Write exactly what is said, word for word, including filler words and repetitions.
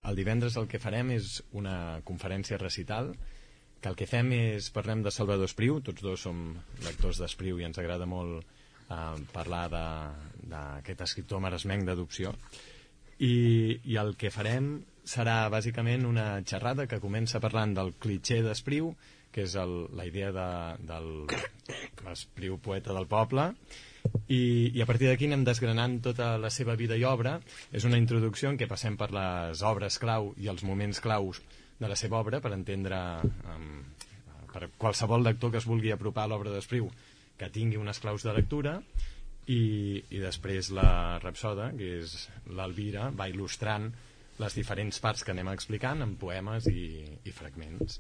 el divendres el que farem és una conferència recital, que el que fem és, parlem de Salvador Espriu, tots dos som lectors d'Espriu i ens agrada molt eh, parlar d'aquest escriptor maresmenc d'adopció, i, i el que farem serà bàsicament una xerrada que comença parlant del clitxé d'Espriu, que és el, la idea de, del l'Espriu poeta del poble, i, i a partir d'aquí anem desgranant tota la seva vida i obra. És una introducció en què passem per les obres clau i els moments claus de la seva obra per entendre um, per qualsevol lector que es vulgui apropar a l'obra d'Espriu que tingui unes claus de lectura, i, i després la rapsoda, que és l'Elvira, va il·lustrant les diferents parts que anem explicant en poemes i, i fragments.